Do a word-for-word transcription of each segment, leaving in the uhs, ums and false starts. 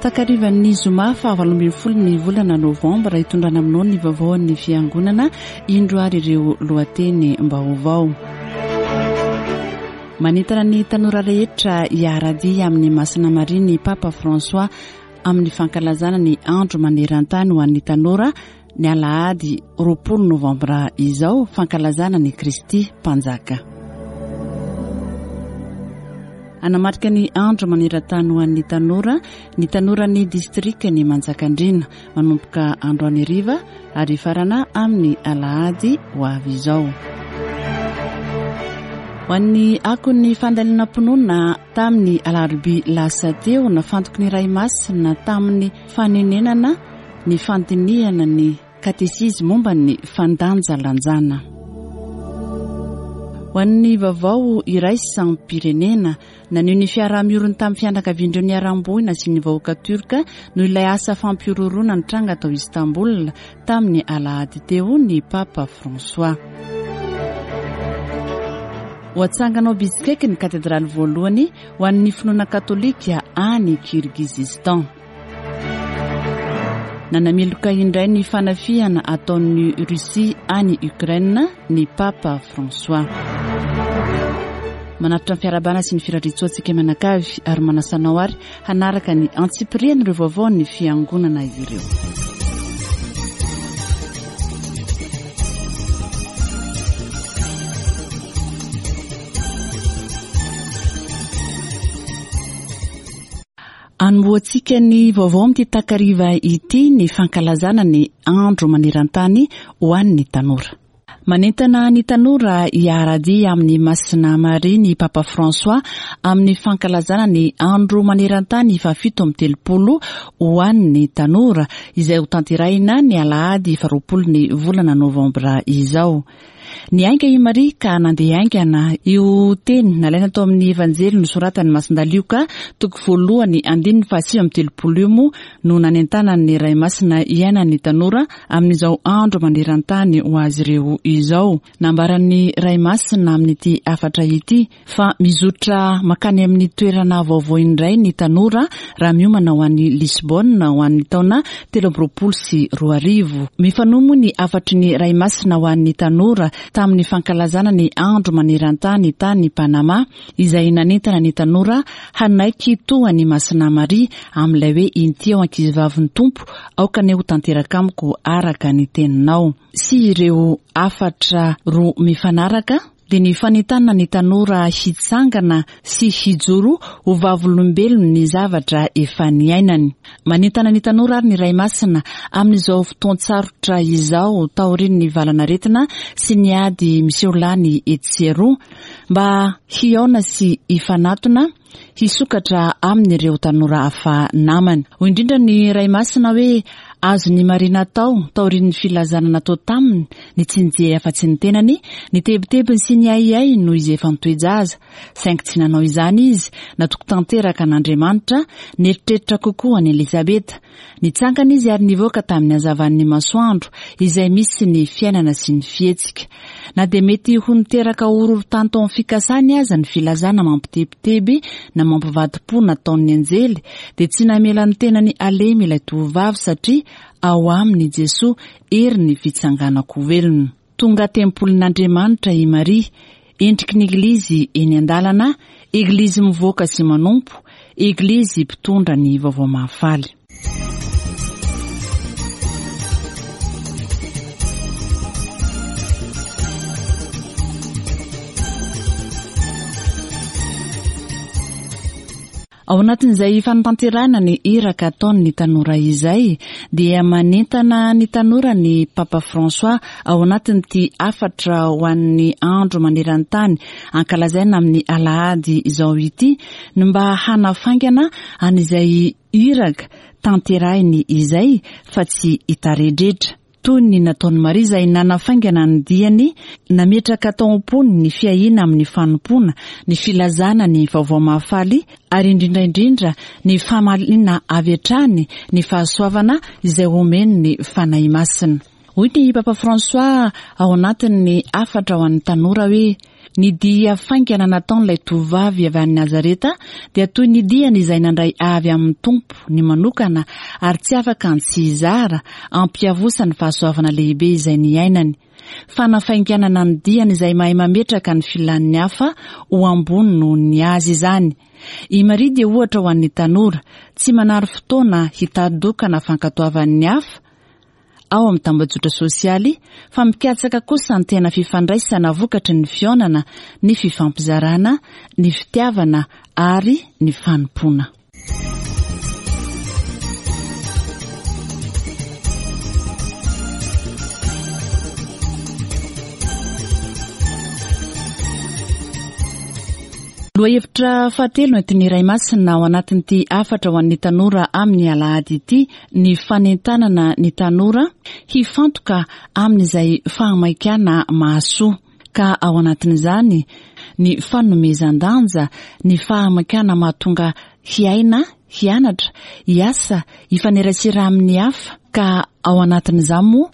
Takarivan'ny zoma fahavalo ambin'ny folo ny volana novambra, hitondrana aminao ny vaovaon'ny fiangonana. Indro ary ireo lohateny vaovao. Manentana ny tanora rehetra hiara-dia amin'ny Masina Maria ny Papa François amin'ny fankalazana ny andro maneran-tany ho an'ny tanora ny alahady roapolo novambra izao, fankalazana ny Kristy Mpanjaka. Hanamarika ny andro maneran-tany ho an'ny tanora ny tanoran'ny distrikan'i Manjakandriana manomboka androany hariva ary farana amin'ny alahady ho avy izao. Ho an'ny akon'ny fandalinam-pinoana tamin'ny alarobia lasa teo, nafantoky ny Ray Masina tamin'ny fanenenana ny fandinihana ny katesizy momba ny fandanjalanjana. Ho an'ny vaovao iraisam-pirenena, naneho ny fiaraha-mioriny tamin'ny fianakaviandreo niharam-boina sy ny vahoaka turka noho ilay asa fampihorohoroana nitranga tao Istanbul tamin'ny alahady teo ny Papa François. Ho atsangana ao Bishkek ny katedraly voalohany ho an'ny finoana katolika any Kirgizistan. Nanameloka indray ny fanafihana ataon'ny Russie any Ukraine ny Papa François. Manatitra ny fiarahabana sy ny firariantsoantsika mianakavy ary manasa anao ary hanaraka ny antsipirian'ireo vaovaon'ny fiangonana ireo. Anombohantsika ny vaovao amin'ity takariva ity ny fankalazana ny andro maneran-tany ho an'ny tanora. Manentana ny tanora hiara-dia amin'ny Masina Maria ny Papa François amin'ny fankalazana ny andro maneran-tany fahafito amby telopolo ho an'ny tanora izay ho tanterahina ny alahady faharoapolo ny volana novambra izao. Niainga i Maria ka nandeha haingana. Io teny nalaina tao amin'ny Evanjely nosoratan'i Masindahy Lioka toko voalohany andininy fahasivy amby telopolo io moa no nanentanan'ny Ray Masina hiainan'ny tanora amin'izao andro maneran-tany ho azy ireo izao. Nambaran'ny Ray Masina amin'ity hafatra ity fa mizotra makany amin'ny toerana vaovao indray ny tanora raha miomana ho an'ny Lisbonne ho an'ny taona telo amby roapolo sy roa arivo. Mifanohy moa ny hafatry ny Ray Masina ho an'ny tanora tamin'ny fankalazana ny andro maneran-tany tany Panama izay nanentana ny tanora hanaiky toa ny Masina Maria amin'ilay hoe inty aho ankizivavin'ny Tompo, aoka anie ho tanteraka amiko araka ny teninao. Sy ireo hafatra roa mifanaraka dia ny fanentanana ny tanora hitsangana sy hijoro ho vavolombelony ny zavatra efa niainany. Manentana ny tanora ary ny Ray Masina amin'izao fotoan-tsarotra izao taorian'ny valanaretina sy ny ady miseho lany etsy sy eroa mba hihaona sy hifanatona hisokatra amin'ireo tanora hafa namany. Hoy indrindra ny Ray Masina hoe azon'i Maria natao taorian'ny filazana natao taminy ny tsy nijery afa-tsy ny tenany, ny tebitebiny sy ny ahiahy noho izy efa nitoe-jaza. Saingy tsy nanao izany izy, natoky tanteraka an'Andriamanitra, nieritreritra kokoa an'i Elizabeta. Nitsangana izy ary nivoaka tamin'ny hazavan'ny masoandro izay misy ny fiainana sy ny fihetsika. Na dia mety ho niteraka horohorontany tao amin'ny fikasany aza ny filazana mampitebiteby na mampivadi-po nataon'ny anjely, dia tsy namela ny tenany halemy ilay tovovavy satria ao aminy Jesoa herin'ny fitsanganako velona. Tonga tempolin'Andriamanitra i Maria, endriky ny Eglizy eny an-dalana, Eglizy mivoaka sy manompo, Eglizy mpitondra ny vaovao mahafaly. Ao anatin'izay fanatanterahana ny iraka ataon'ny tanora izay dia manentana ny tanora ny Papa François ao anatin'ity hafatra ho an'ny andro maneran-tany ankalazaina amin'ny alahady izao ity ny mba hanafaingana an'izay iraka tanterahiny izay fa tsy hitaredretra. Toy ny nataon'i Maria izay nanafaingana ny diany, nametraka tao am-pony ny fiahiana amin'ny fanompoana, ny filazana ny vaovao mahafaly ary indrindra indrindra ny famaliana avy hatrany ny fahasoavana izay omen'ny Fanahy Masina. Hoy ny Papa François ao anatin'ny hafatra ho an'ny tanora hoe ny dia faingana nataon'ilay tovovavy avy any Nazareta dia toy ny diany izay nandray avy amin'ny Tompo ny manokana ary tsy afaka ny tsy hizara ampiavosa ny fahasoavana lehibe izay niainany. Fanafainganana ny diany izay mahay mametraka ny filan'ny hafa ho ambony noho ny azy izany. I Maria dia ohatra ho an'ny tanora, tsy manary fotoana hitadokana fankatoavan'ny hafa ao amin'ny tambajotra sosialy fa mikatsaka kosa ny tena fifandraisana vokatry ny fihaonana, ny fifampizarana, ny fitiavana ary ny fanompoana. Lohahevitra fahatelo entin'ny Ray Masina ao anatin'ity hafatra ho an'ny tanora amin'ny alahady ity ny fanentanana ny tanora hifantoka amin'izay fahamaikana mahasoa, ka ao anatin'izany ny fanomezan-danja, ny fahamaikana mahatonga hiaina, hianatra, hiasa, hifanerasera amin'ny hafa, ka ao anatin'izany moa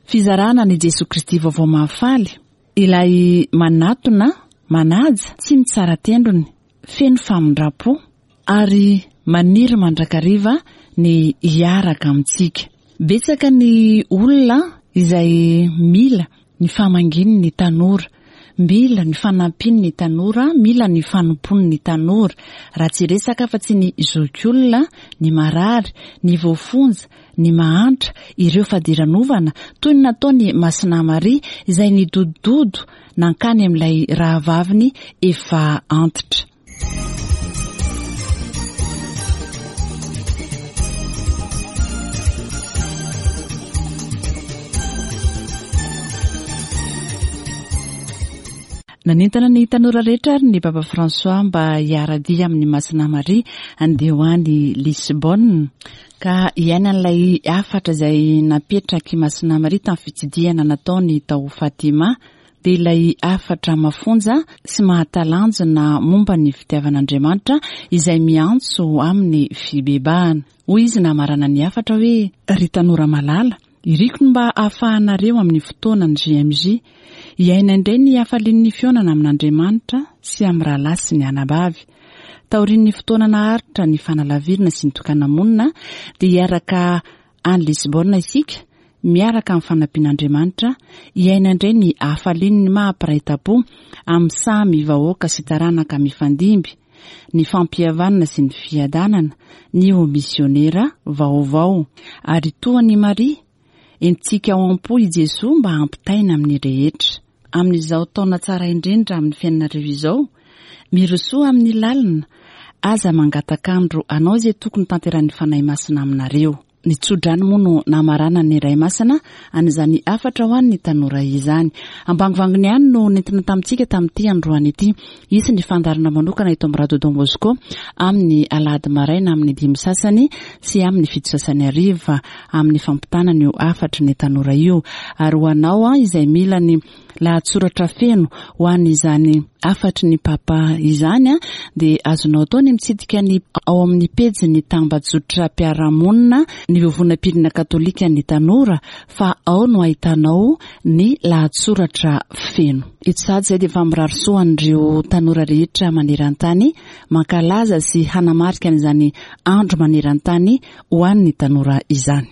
fizarana ny Jesoa Kristy vaovao mahafaly, ilay manatona, manaja, tsy mitsara tendrony, feno famindram-po ary maniry mandrakariva ny hiaraka amintsika. Betsaka ny olona izay mila ny famangian'ny tanora, mila ny fanampian'ny tanora, mila ny fanompoan'ny tanora. Raha tsy resaka afa-tsy ny zokiolona, ny marary, ny voafonja, ny mahantra, ireo fadiranovana, toy ny nataony Masina Maria izay nidodododo nankany amin'ilay rahavaviny efa antitra. Nanentana ny tanora rehetra ary ny Papa François mba hiara-dia amin'ny Masina Maria andeha ho any Lisbonne, ka hiainan'ilay hafatra izay napetraky Masina Maria tamin'ny fitsidihana nataony tao Fatima, dia ilay hafatra mafonja sy mahatalanjona momba ny fitiavan'Andriamanitra izay miantso amin'ny fibebahana. Hoy izy namarana ny hafatra hoe: ry tanora malala, iriko ny mba ahafahanareo amin'ny fotoana ny J M J hiaina indray ny hafalian'ny fihaonana amin'Andriamanitra sy amin'ny rahalahy sy ny anabavy. Taorian'ny fotoana naharitra ny fanalavirana sy ny tokana-monina dia hiaraka any Lisbonne isika, miaraka amin'ny fanampian'Andriamanitra, hiaina indray ny hafalian'ny maha-mpiray tampo amin'ny samy vahoaka sy taranaka mifandimby, ny fampihavanana sy ny fiadanana, ny ho misionera vaovao. Ary toa an'i Maria, entintsika ao am-po i Jesoa mba hampitaina amin'ny rehetra. Amin'izao taona tsara indrindra amin'ny fiainanareo izao, mirosoa amin'ny lalina, aza mangatak'andro anao izay tokony tanterahin'ny Fanahy Masina aminareo. Ny tsodrano moa no namarana ny Ray Masina an'izany hafatra ho an'ny tanora izany. Ambangovangony ihany no nentina tamintsika tamin'ity androany ity. Hisy ny fandaharana manokana eto amin'ny Radio Don Bosco amin'ny alahady maraina amin'ny dimy sasany sy amin'ny fito sasany hariva amin'ny fampitana ny hafatry ny tanora io. Ary ho anao izay mila ny lahatsoratra feno ho an'izany hafatry ny Papa izany dia azonao atao ny mitsidika ny ao amin'ny pejin'ny tambajotram-piarahamonina ny Vovonam-pirenena Katolika ny tanora, fa ao no ahitanao ny lahatsoratra feno. Eto sady izay dia efa mirary soa an'ireo tanora rehetra maneran-tany mankalaza sy hanamarika an'izany andro maneran-tany ho an'ny tanora izany.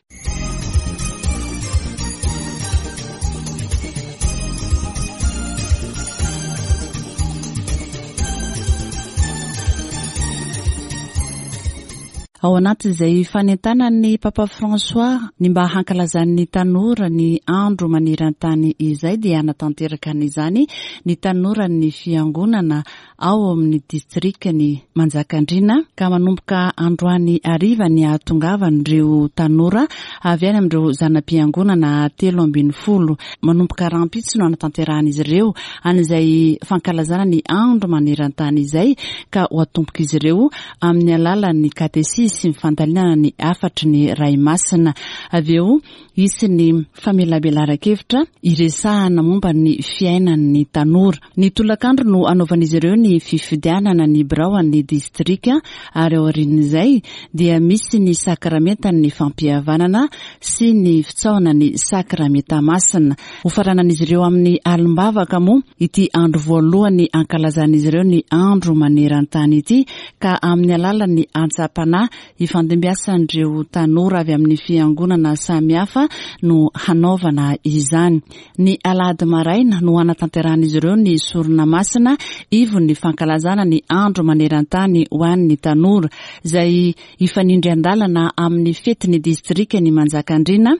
Ao anatin'izay fanentanan'ny Papa François ny mba hankalazan'ny tanora ny andro maneran-tany izay dia hanatanteraka an'izany ny tanoran'ny fiangonana ao amin'ny distrikan'i Manjakandriana, ka manomboka androany hariva ny hahatongavan'ireo tanora avy any amin'ireo zana-piangonana telo ambin'ny folo. Manomboka rahampitso no hanatanterahan'izy ireo an'izay fankalazana ny andro maneran-tany izay, ka ho atombok'izy ireo amin'ny alalan'ny katesisy hisy ny fandalinana ny hafatry ny Ray Masina. Avy eo hisy ny famelabelaran-kevitra iresahana momba ny fiainan'ny tanora. Ny tolakandro no hanaovan'izy ireo ny fifidianana ny birao an'ny distrika ary aorian'izay dia misy ny sakramentan'ny fampihavanana sy ny fitsaohana ny sakramenta masina. Hofaranan'izy ireo amin'ny alim-bavaka moa ity andro voalohany ankalazan'izy ireo ny andro maneran-tany ity ka amin'ny alalan'ny antsam-panahy ifandimbiasan'ireo tanora avy amin'ny fiangonana samihafa no hanaovana izany. Ny alahady maraina no hanatanterahan'izy ireo ny sorona masina ivon'ny fankalazana ny andro maneran-tany ho an'ny tanora izay hifanindry an-dalana amin'ny fetin'ny distrika ny Manjakandriana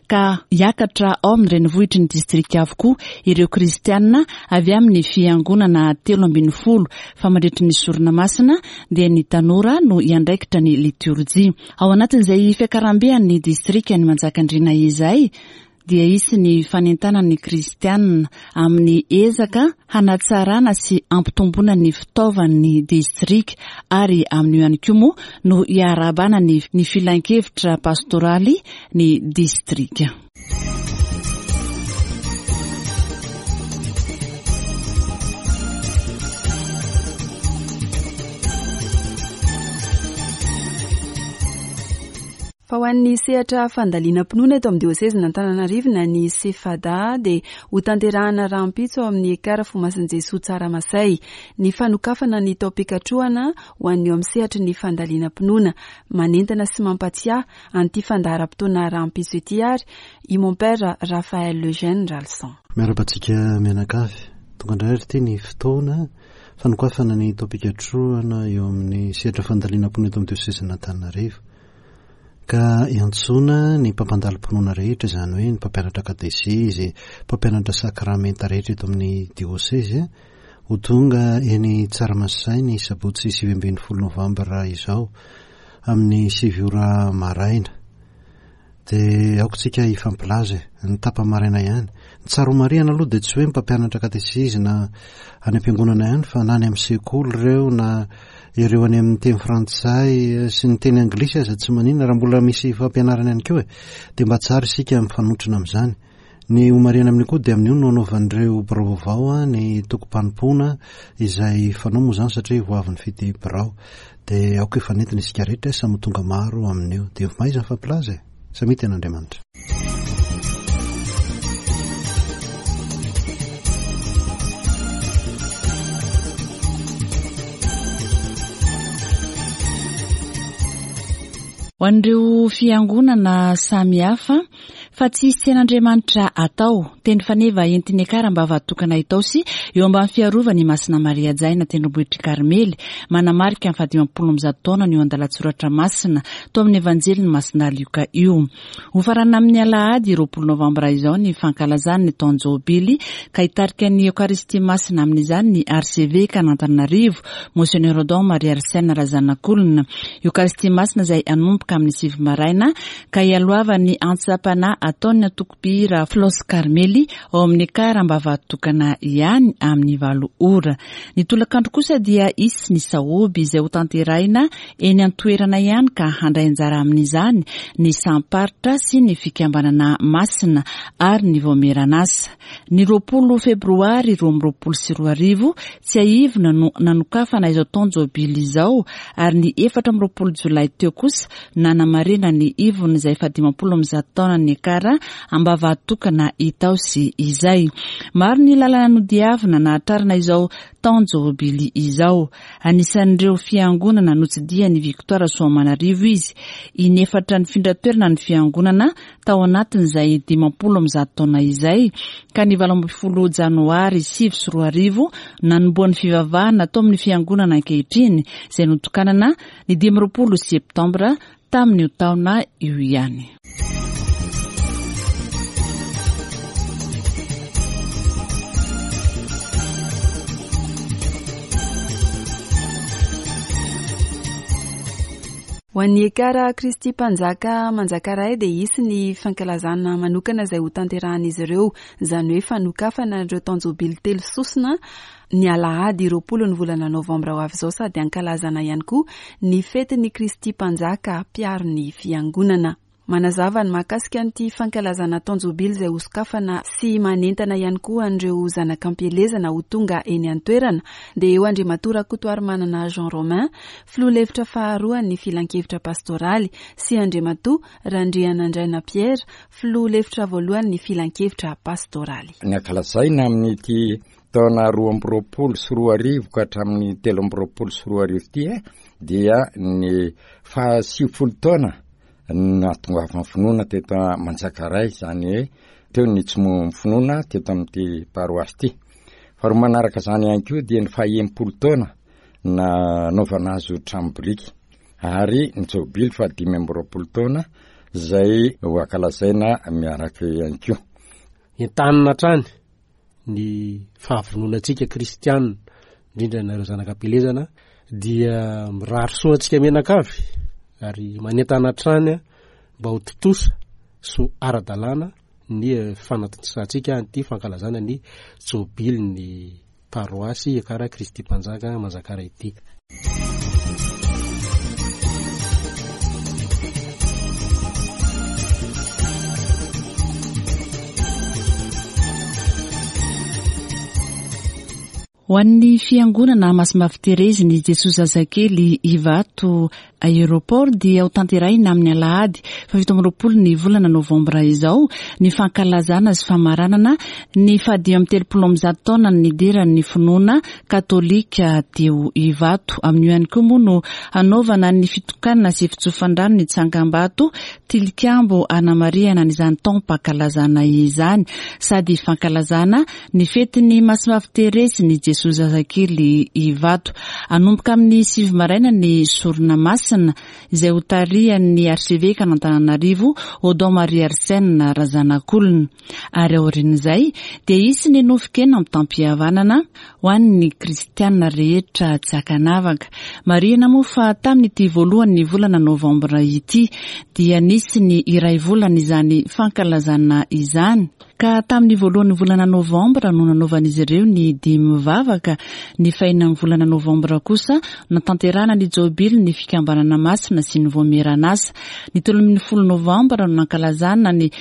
ka hiakatra ao amin'ny renivohitry ny distrika avokoa ireo kristianina avy amin'ny fiangonana telo ambin'ny folo fa mandritry ny sorona masina dia ny tanora no hiandraikitra ny liturjia. Ao anatin'izay fiakarambean'ny distrika ny Manjakandriana izay dia hisy ny fanentanan'ny kristianina amin'ny ezaka hanatsarana sy hampitomboana ny fitaovan'ny distrika ary amin'io ihany koa moa no hiarahabana ny ny filankevitra pastoraly ny distrika. Fa ho an'ny sehatra fandalinam-pinoana eto amin'ny diosezin'Antananarivo na ny SEFADA dia ho tanterahana rahampitso ao amin'ny Ekara Fomasin'i Jesoa Tsaramasay ny fanokafana ny taom-pikatrohana ho an'ny eo amin'ny sehatry ny fandalinam-pinoana. Manentana sy mampatsiahy an'ity fandaharam-potoana rahampitso ity ary i mon père Raphaël Eugène Ralson. Miarahaba antsika mianakavy. Tonga indray ary ity ny fotoana fanokafana ny taom-pikatrohana eo amin'ny sehatra fandalinam-pinoana eto amin'ny diosezin'Antananarivo. Ka iantsoana ny mpampandalo-pinoana rehetra, izany hoe ny mpampianatra katesezy, mpampianatra sakramenta rehetra eto amin'ny diosezy, ho tonga eny Tsaramasay ny sabotsy sivy ambin'ny folo novambra izao amin'ny sivy ora maraina. Dia aoka tsika hifampilaza e, ny tapa-maraina ihany. Ny tsara ho marihana aloha dia tsy hoe mpampianatra katesezy na any am-piangonana ihany fa na any amin'ny sekoly ireo na ireo any amin'ny teny frantsay sy ny teny anglisy aza tsy maninona raha mbola misy fampianarana ihany koa e. Dia mba tsara isika mifanotrona amin'izany. Ny ho marihana amin'io koa dia amin'io no anaovan'ireo birao vaovao ny tokom-panompoana izay fanao moa izany satria ho avy nifidy birao. Dia aoka hifanentana isika rehetra samy ho tonga maro amin'io. Dia mahaiza mifampilaza e. Samy hita an'Andriamanitra. Ho an'ireo fiangonana samihafa fa tsy hisy tian'Andriamanitra atao teny faneva entin'ny Ekara Ambavatokana Itaosy eo ambany fiarovany Masina Maria Jaina tendrombohitr'i Karmely manamarika ny fahadimampolo amby zato taona io andalan-tsoratra masina tao amin'ny Evanjelin'i Masina Lioka io. Hofaranana amin'ny alahady roapolo novambra izao ny fankalazana ny taon-jobily ka hitarika ny Eokaristia Masina amin'izany ny Arseveka an'Antananarivo Monseigneur Odon Marie Arsène Razanakolona. Eokaristia Masina izay hanomboka amin'ny sivy maraina ka hialohavan'ny antsam-panahy ataon'ny antoko-mpihira Flos Karmely ao amin'ny Ekara Ambavatokana ihany amin'ny valo ora. Ny tolakandro kosa dia hisy ny sahoby izay ho tanterahina eny an-toerana ihany ka handray anjara amin'izany ny samparitra sy ny fikambanana masina ary ny vaomieran'asa. Ny roapolo febroary roa amby roapolo sy roa arivo tsiahivina no nanokafana izao taon-jobily izao ary ny efatra amby roapolo jolay teo kosa nanamarina ny ivon'izay fahadimampolo amby zato taona ny Ekara Ambavatokana Itaosy izay. Maro ny lalana nodiavina nahatrarana izao taon-jobily izao. Anisan'ireo fiangonana notsidihan'i Victoire Soamanarivo izy. Inefatra nifindra toerana ny fiangonana tao anatin'izay dimampolo amby zato taona izay ka ny valo ambin'ny folo janoary sivy sy roa arivo nanombohan'ny fivavahana tao amin'ny fiangonana ankehitriny izay notokanana ny dimy amby roapolo septambra tamin'io taona io ihany. Ho an'ny Ekara Kristy Mpanjaka Manjakaray dia hisy ny fankalazana manokana izay ho tanterahan'izy ireo, izany hoe fanokafana ireo taon-jobily telo sosona ny alahady roapolo ny volana novambra ho avy izao, sady ankalazana ihany koa ny fetin'ny Kristy Mpanjaka mpiaro ny fiangonana. Manazava ny mahakasika an'ity fankalazana taon-jobily izay hosokafana sy manentana ihany koa an'ireo zanak'ampielezana ho tonga eny an-toerana dia eo Andriamatoa Rakotoarimanana Jean Romain, filoha lefitra faharoan'ny filankevitra pastoraly, sy Andriamatoa Randrianandraina Pierre, filoha lefitra voalohan'ny filankevitra pastoraly. Ny ankalazaina amin'ity taona roa amby roapolo sy roa arivo ka hatramin'ny telo amby roapolo sy roa arivo ity dia ny fahasivifolo taona nahatongavan'ny finoana teto Manjakaray, izany hoe teo ny tsy moa finoana teto amin'ity paroasy ity. Faharoa manaraka izany ihany koa dia ny fahenimpolo taona nanaovana azy ho trano biriky, ary ny jobily fahadimy amby roapolo taona izay ho ankalazaina miaraka ihany koa. Entanina hatrany ny fahavononantsika kristianina, indrindra nareo zanak'ampielezana, dia mirary soa antsika mianakavy ary manentana hatrany mba ho tontosa sy ho ara-dalàna ny fanatontosantsika an'ity fankalazana ny jobilin'ny paroasy Ekara Kristy Mpanjaka Manjakaray ity. Ho an'ny fiangonana Masimbavy Terezy ny Jesoa Zazakely Ivato Aéroport dia ho tanterahina amin'ny alahady fahafito amby roapolo ny volana novambra izao ny fankalazana sy famaranana ny fahadimy amby telopolo amby zato taona nidiran'ny finoana katolika teo Ivato. Amin'io ihany koa moa no hanaovana ny fitokanana sy fitsofan-drano ny tsangambato tilikambo anamarihana an'izany taom-pankalazana izany, sady fankalazana ny fetin'ny Masimbavy Terezy ny Jesoa Zazakely Ivato. Hanomboka amin'ny sivy maraina ny sorona masina izay ho tarihan'ny archevêque an'Antananarivo Odon Marie Arsène Razanakolona, ary aorian'izay dia hisy ny nofon-kena mitam-pihavanana ho an'ny kristiana rehetra tsy ankanavaka. Marihina moa fa tamin'ity voalohan'ny volana novambra ity dia nisy ny iray volana izany fankalazana izany, ka tamin'ny voalohan'ny volana novambra no nanaovan'izy ireo ny dimy vavaka. Ny fahenan'ny volana novambra kosa natanterahana ny jobily ny fikambanana masina sy ny voamieran'asa. Ny telo ambin'ny folo novambra no nankalazana ny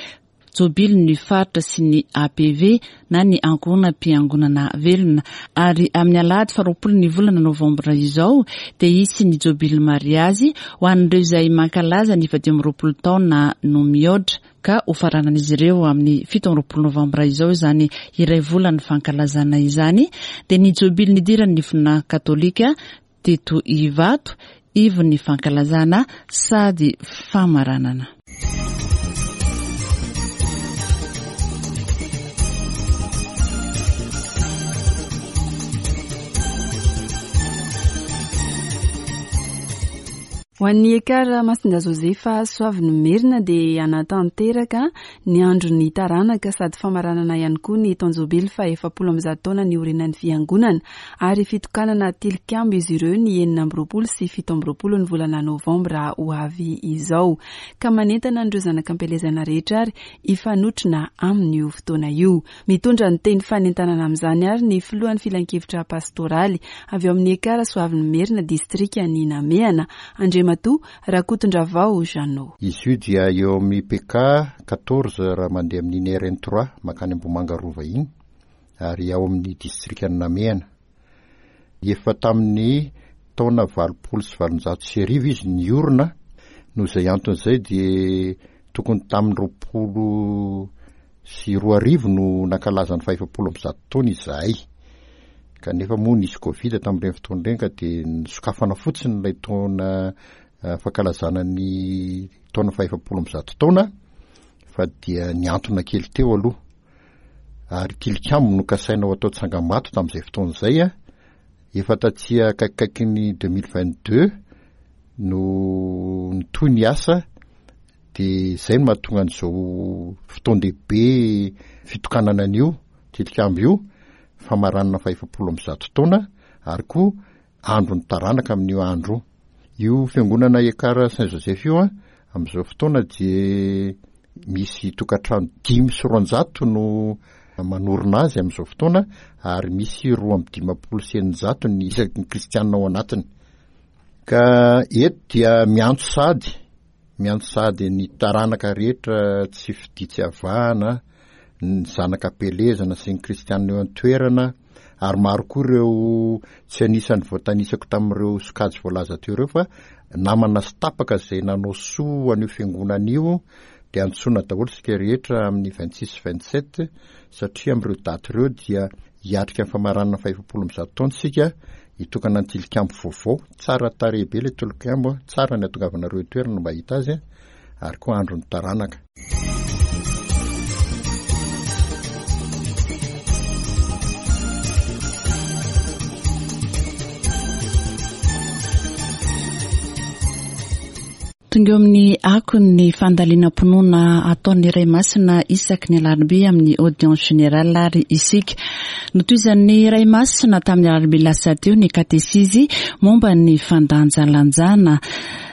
jobily ny faritra sy ny A P V na ny ankohonam-piangonana velona, ary amin'ny alahady faharoapolo ny volana novambra izao dia hisy ny jobily mariazy ho an'ireo izay mankalaza ny fahadimy amby roapolo taona no mihoatra, ka ho faranan'izy ireo amin'ny fito amby roapolo novambra izao izany iray volan'ny fankalazana izany, dia ny jobily nidiran'ny finoana katolika teto Ivato, ivon'ny fankalazana sady famaranana. Ho an'ny Ekara Masinda Josefa Soavinomerina dia hanatanteraka ny andron'ny taranaka sady famaranana ihany koa ny taon-jobily faha-efapolo amby zato taona niorenan'ny fiangonana, ary fitokanana tilikambo izy ireo ny enina amby roapolo sy fito amby roapolo ny volana novambra ho avy izao, ka manentana an'ireo zanak'ampielezana rehetra ary hifanotrona amin'io fotoana io. Mitondra ny teny fanentanana amin'izany ary ny filohan'ny filankevitra pastoraly avy ao amin'ny Ekara Soavinomerina distrikan'i Namehana, Andriamatoa Rakotondravao Jeannot. Izy io dia eo amin'ny P K quatorze raha mandeha amin'iny R N trois mankany Ambohimanga Rova iny, ary ao amin'ny distrikan'i Namehana. Efa tamin'ny taona valopolo sy valonjato sy arivo izy niorina, noho izay anton'izay dia tokony tamin'ny roapolo sy roa arivo no nankalaza ny fahefapolo amby zato taona izahay. Kanefa moa nisy Covid tamin'ireny fotoana ireny ka dia nisokafana fotsiny ilay taona, eh, fankalazana ny taona fahefapolo amby zato taona, fa dia niantona kely teo aloha. Ary tilikambo no kasaina ho atao tsangambato tamin'izay fotoana izay, a. Efa taty akaikikaiky ny deux mille vingt-deux no nitohy ny asa, dia izay no mahatonga an'izao fotoan-dehibe fitokanana an'io tilikambo io, famaranana fahefapolo amby zato taona, ary koa andron'ny taranaka amin'io andro io. Io fiangonana Ekar Saint Joseph io a, amin'izao fotoana dia misy tokantrano dimy sy roanjato no manorina azy amin'izao fotoana, ary misy roa amby dimampolo sy eninjato ny isaky ny kristianina ao anatiny. Ka eto dia miantso sady, miantso sady ny taranaka rehetra tsy fidia tsy avahana, ny zanaka am-pielezana sy ny kristianina eo an-toerana, ary maro koa ireo tsy anisan'ny voatanisako tamin'ireo sokajy voalaza teo ireo fa namana sy tapaka izay nanao soa an'io fiangonana io, dia antsoina daholo isika rehetra amin'ny vingt-six vingt-sept, satria amin'ireo daty ireo dia hiatrika ny famaranana faha-efapolo amby zato taona isika, hitokana ny tilikambo vaovao. Tsara tarehy be ilay tilikambo, tsara ny hatongavanareo toerana mba hahita azy, ary koa andron'ny taranaka. Tonga eo amin'ny akon'ny fandalinam-pinoana ataon'ny Ray Masina isaky ny alarobia amin'ny audience générale ary isika. Notohizan'ny Ray Masina tamin'ny alarobia lasa teo ny katesizy momba ny fandanjalanjana,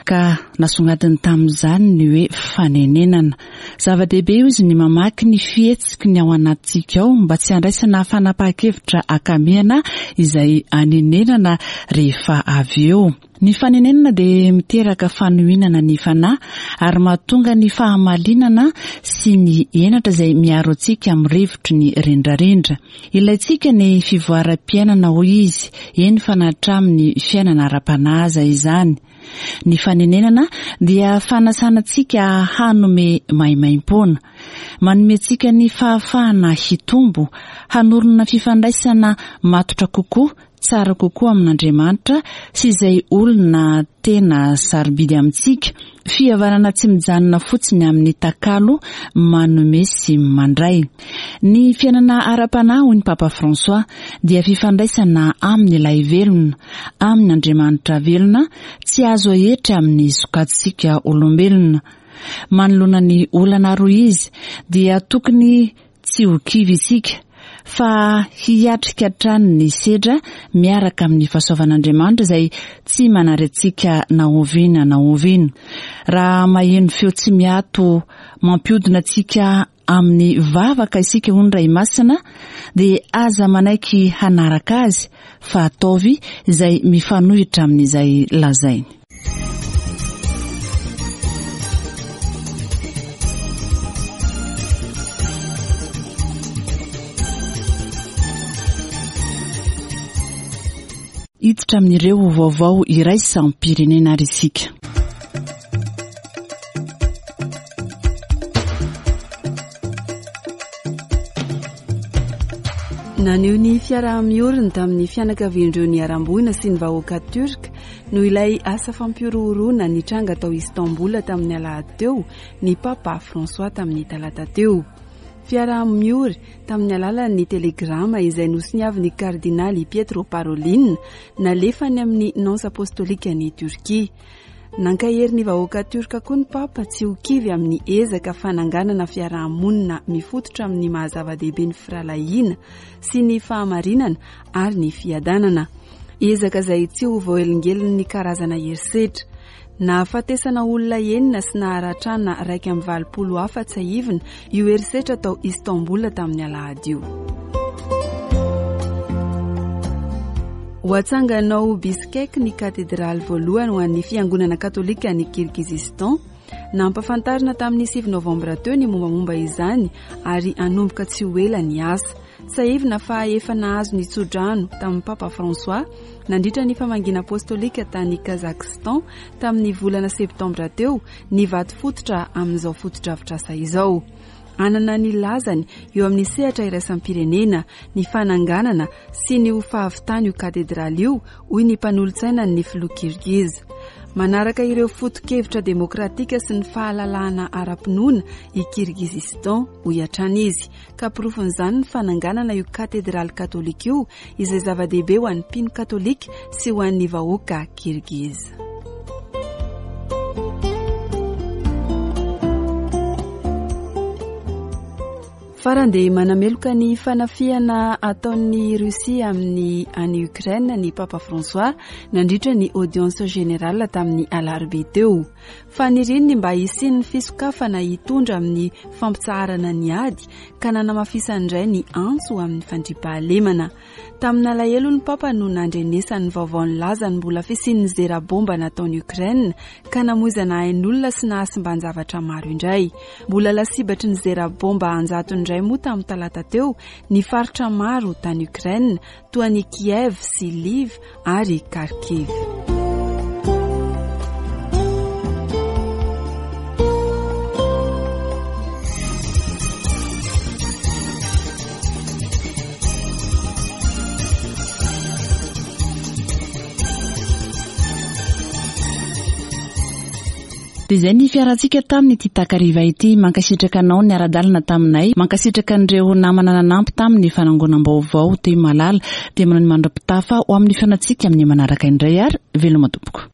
ka nasongadiny tamin'izany ny hoe fanenenana. Zava-dehibe io izy ny mamaky ny fihetsiky ny ao anatintsika ao mba tsy handraisana fanapahan-kevitra akamehana izay anenenana rehefa avy eo. Ny fanenenana dia miteraka fanohinana ny fanahy ary mahatonga ny fahamalinana sy ny henatra izay miaro antsika amin'ny rivotry ny rendrarendra. Ilaintsika ny fivoaram-piainana hoy izy, eny fa na hatramin'ny fiainana ara-panahy aza izany. Ny fanenenana dia fanasana antsika hanome maimaimpoana. Manome antsika ny fahafahana hitombo, hanorina fifandraisana matotra kokoa, tsara kokoa amin'Andriamanitra sy izay olona tena sarobidy amintsika. Fihavanana tsy mijanona fotsiny amin'ny takalo manome sy mandray. Ny fiainana ara-panahy hoy ny Papa François dia fifandraisana amin'ilay velona, amin'Andriamanitra velona, tsy azo ahetra amin'ny sokajintsika olombelona. Manoloana ny olana roa izy dia tokony tsy ho kivy isika, fa hiatrika hatrany ny sedra miaraka amin'ny fahasoavan'Andriamanitra izay tsy manary antsika na oviana na oviana. Raha maheno feo tsy miato mampiodina antsika amin'ny vavaka isika hoy ny Ray Masina, dia aza manaiky hanaraka azy fa ataovy izay mifanohitra amin'izay lazainy. Hiditra amin'ireo vaovao iraisam-pirenena ary isika. Naneho ny fiaraha-mioriny tamin'ny fianakavian'ireo niharam-boina sy ny vahoaka turka noho ilay asa fampihorohoroana nitranga tao Istanbul tamin'ny alahady teo ny Papa François tamin'ny talata teo. Fiaraha-miory tamin'ny alalan'ny telegrama izay nosoniavin'ny kardinaly Pietro Parolin nalefany amin'ny nonce apostolika ny Turquie. Nankahery ny vahoaka turka koa ny Papa tsy ho kivy amin'ny ezaka fananganana fiarahamonina mifototra amin'ny maha-zava-dehibe ny firahalahiana sy ny fahamarinana ary ny fiadanana. Ezaka izay tsy ho voahelingelin'ny karazana herisetra. Nahafatesana olona enina sy naharatrana iraika amby valopolo hafa tsiahivina io herisetra tao Istanbul tamin'ny alahady io. Ho atsangana ao Bishkek ny katedraly voalohany ho an'ny fiangonana katolika any Kirgizistan. Nampahafantarina tamin'ny sivy novambra teo ny mombamomba izany ary hanomboka tsy ho ela ny asa. Tsiahivina fa efa nahazo ny tsodrano tamin'ny Papa François nandritra ny famangiana apostolika tany Kazakhstan tamin'ny volana septambra teo ny vato fototra amin'izao fotodrafitrasa izao. Hanana ny lazany eo amin'ny sehatra iraisam-pirenena ny fananganana sy ny ho fahavitany io katedraly io, hoy ny mpanolotsaina ny filoha Kirgiz. Manaraka ireo foto-kevitra demokratika sy ny fahalalahana ara-pinoana i Kirgizistan, hoy hatrany izy. Ka porofon'izany ny fananganana io katedraly katolika io, izay zava-dehibe ho an'ny mpino katolika sy ho an'ny vahoaka Kirgiz. Farany dia manameloka ny fanafihana ataon'ny Russie amin'ny any Ukraine ny Papa François nandritra ny audience générale tamin'ny alarobia teo. Faniriany ny mba hisian'ny fisokafana hitondra amin'ny fampitsaharana ny ady ka nanamafisany indray ny antso amin'ny fandriampahalemana. Tamin'alahelo ny Papa no nandrenesany vaovao nilaza ny mbola fisian'ny zera bomba nataon'i Ukraine ka namoizana ain'olona sy nahasimban-javatra maro indray. Mbola lasibatry ny zera bomba anjatony indray moa tamin'ny talata teo ny faritra maro tany Ukraine toa an'i Kiev sy Lviv ary Kharkiv. Dia izay ny fiarantsika tamin'ity takariva ity. Mankasitraka anao niara-dalana taminay, mankasitraka an'ireo namana nanampy tamin'ny fanangonam-baovao teo Malala. Dia manao ny mandra-pitafa ho amin'ny fihaonantsika amin'ny manaraka indray ary veloma tompoko.